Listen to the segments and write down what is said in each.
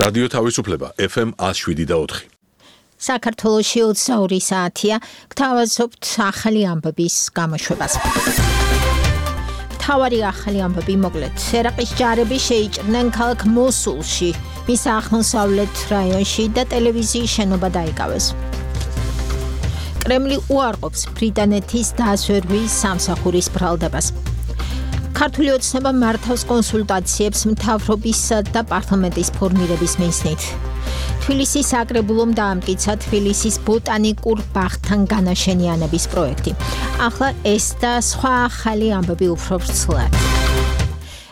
რადიო თავისუფლება FM 107.4. საქართველოში 22 საათია, გთავაზობთ ახალი ამბების გამოშვებას. მთავარი ახალი ამბები მოკლედ. ერაყის ჯარები შეიჭრნენ ქალაქ მოსულში, მის აღმოსავლეთ რაიონში და ტელევიზიის შენობა დაიკავეს. კრემლი უარყოფს ბრიტანეთის დასვერვის სამსახურის ბრალდებას. ქართული ოცნება მართავს კონსულტაციებს მთავრობისა და პარლამენტის ფორმირების მიზნით. თბილისის საკრებულომ დაამტკიცა თბილისის ბოტანიკურ ბაღთან განაშენიანების პროექტი. ახლა ეს და სხვა ახალი ამბები უფრო ვრცლად.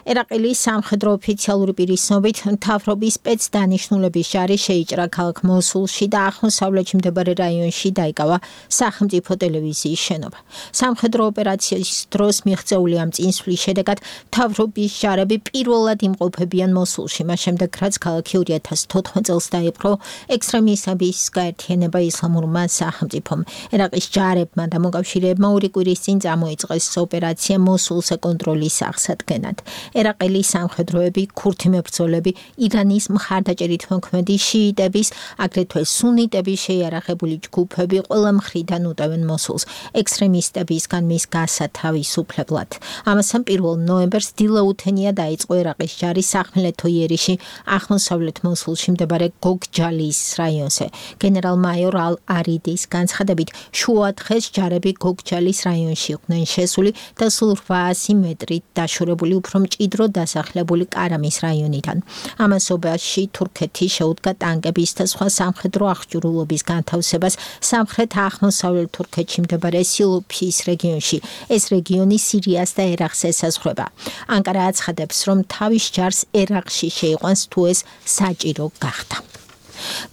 ერაყელი სამხედრო ოფიციალური პირის ცნობით მთავრობის სპეცდანიშნულების ჯარი შეიჭრა ქალაქ მოსულში და აღმოსავლეთში მდებარე რაიონში დაიკავა სახელმწიფო ტელევიზიის შენობა. სამხედრო ოპერაციის დროს მიღწეული ამ წინსვლის შედეგად მთავრობის ჯარები პირველად იმყოფებიან მოსულში, მას შემდეგ რაც ქალაქი 2014 წელს დაიპყრო ექსტრემისტების გაერთიანება ისლამურმა სახელმწიფომ. ერაყის ჯარებმა და მოკავშირეებმა ორი კვირის წინ წამოიწყეს ოპერაცია მოსულზე კონტროლის აღსადგენად. ერაყელი სამხედროები, ქურთი მებრძოლები, ირანის მხარდაჭერით მოქმედი შიიტების, აგრეთვე სუნიტების შეიარაღებული ჯგუფები ყველა მხრიდან უტევენ მოსულს ექსტრემისტებისგან მის გასათავისუფლებლად. ამასთან 1 ნოემბერს დილაუთენია დაიწყო ერაყის ჯარი სახმელეთო იერიში აღმოსავლეთ მოსულში მდებარე გოგჯალის რაიონზე. გენერალ-მაიორ ალ-არიდის განცხადებით, შუა დღეს ჯარები გოგჯალის რაიონში იყვნენ შესული და სულ 800 მეტრით დაშორებული უფრო მჭიდრო დასახლებული კარამის რაიონიდან. ამასობაში თურქეთი შეუდგა ტანკების და სხვა სამხედრო აღჭურვილობის განთავსებას სამხრეთ აღმოსავლეთ თურქეთში მდებარე სილუფის რეგიონში. ეს რეგიონი სირიას და ერაყს ესაზღვრება. ანკარა აცხადებს, რომ თავის ჯარს ერაყში შეიყვანს თუ ეს საჭირო გახდა.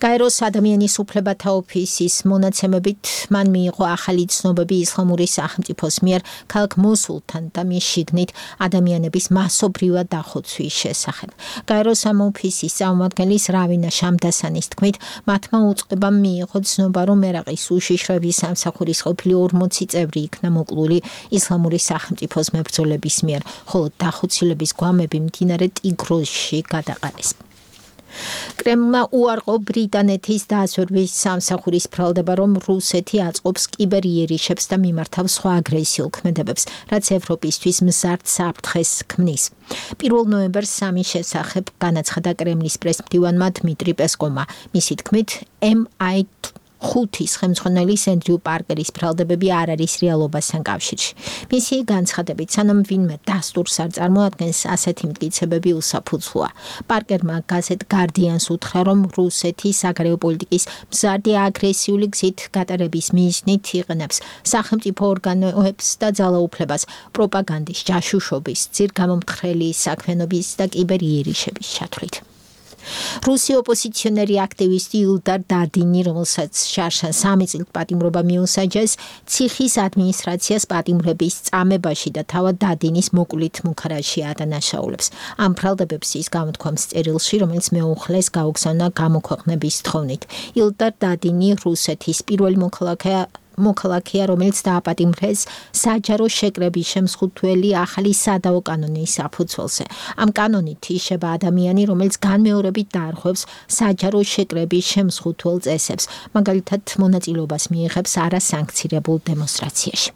გაეროს ადამიანის უფლებათა ოფისის მონაცემებით მან მიიღო ახალი ცნობები ისლამური სახელმწიფოს მიერ ქალაქ მოსულთან და მის შიგნით ადამიანების მასობრივად დახოცვის შესახებ. გაეროს ამ ოფისის წარმომადგენლის რავინა შამდასანის თქმით, მათმა უწყებამ მიიღო ცნობა, რომ ერაყის უშიშროების სამსახურის ყოფილი 40 წევრი იქნა მოკლული ისლამური სახელმწიფოს მებრძოლების მიერ, ხოლო დახოცილების გვამები მდინარე ტიგროსში გადაყარეს. კრემლმა უარყო ბრიტანეთის დასვერვის სამსახურის ბრალდება, რომ რუსეთი აწყობს კიბერიერიშებს და მიმართავს სხვა აგრესიულ ქმედებებს, რაც ევროპისთვის მზარდ საფრთხეს ქმნის. 1 ნოემბერს სამის შესახებ განაცხადა კრემლის პრესმდივანმა დმიტრი პესკოვმა. მისი თქმით, MI5-ის ხელმძღვანელის ენდრიუ პარკერის ბრალდებები არ არის რეალობასთან კავშირში. მისი განცხადებით, სანამ ვინმე დასტურს არ წარმოადგენს, ასეთი მტკიცებები უსაფუძვლოა. პარკერმა გაზეთ გარდიანს უთხრა, რომ რუსეთი საგარეო პოლიტიკის მზარდი აგრესიული გზით გატარების მიზნით იყენებს სახელმწიფო ორგანოებს და ძალაუფლებას პროპაგანდის, ჯაშუშობის, ძირგამომთხრელი საქმიანობის და კიბერიერიშების ჩათვლით. რუსი ოპოზიციონერი აქტივისტი ილდარ დადინი, რომელსაც შარშან 3 წლით პატიმრობა მიუსაჯეს, ციხის ადმინისტრაციას პატიმრების წამებაში და თავად დადინის მოკლით მუქარაში ადანაშაულებს. ამ ბრალდებებს ის გამოთქვამს წერილში, რომელიც მეუხლეს გაუგზავნა გამოქვეყნების თხოვნით. ილდარ დადინი რუსეთის პირველი მოქალაქეა, რომელიც დააპატიმრეს საჯარო შეკრების შემსხუთველი ახალი სადაო კანონის საფუძველზე. ამ კანონით იშება ადამიანი, რომელიც განმეორებით დაარღვევს საჯარო შეკრების შემსხუთველ წესებს, მაგალითად მონაწილეობას მიიღებს არასანქცირებულ დემონსტრაციაში.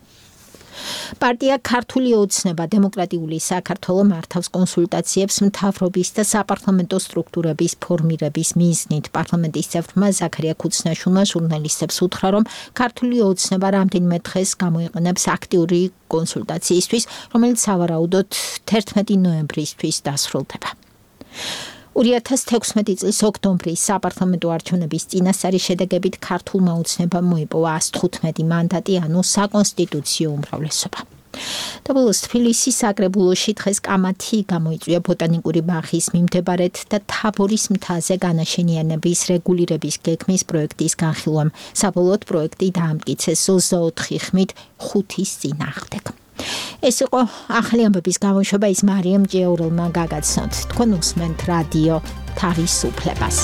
პარტია ქართული ოცნება დემოკრატიული საქართველო მართავს კონსულტაციებს მთავრობის და საპარლამენტო სტრუქტურების ფორმირების მიზნით. პარლამენტის წევრმა ზაქარია ქუცნაშვილმა ჟურნალისტებს უთხრა, რომ ქართული ოცნება რამდენიმე დღეს გამოიყენებს აქტიური კონსულტაციისთვის, რომელიც სავარაუდოდ 11 ნოემბრისთვის დასრულდება. 2016 წლის ოქტომბრის საპარლამენტო არჩევნების წინასწარი შედეგებით ქართულმა ოცნებამ მოიპოვა 115 მანდატი, ანუ საკონსტიტუციო უმრავლესობა. და ბოლოს თბილისის საკრებულოში დღეს კამათი გამოიწვია ბოტანიკური ბაღის მიმდებარედ და თაბორის მთაზე განაშენიანების რეგულირების გეგმის პროექტის განხილვამ. საბოლოოდ პროექტი დაამტკიცეს 24 ხმით 5-ის წინააღმდეგ. ეს იყო ახალი ამბების გამოშვება, ის მარიამ ჭიაურელმა გაგაცნოთ. თქვენ უსმენთ რადიო თავისუფლებას.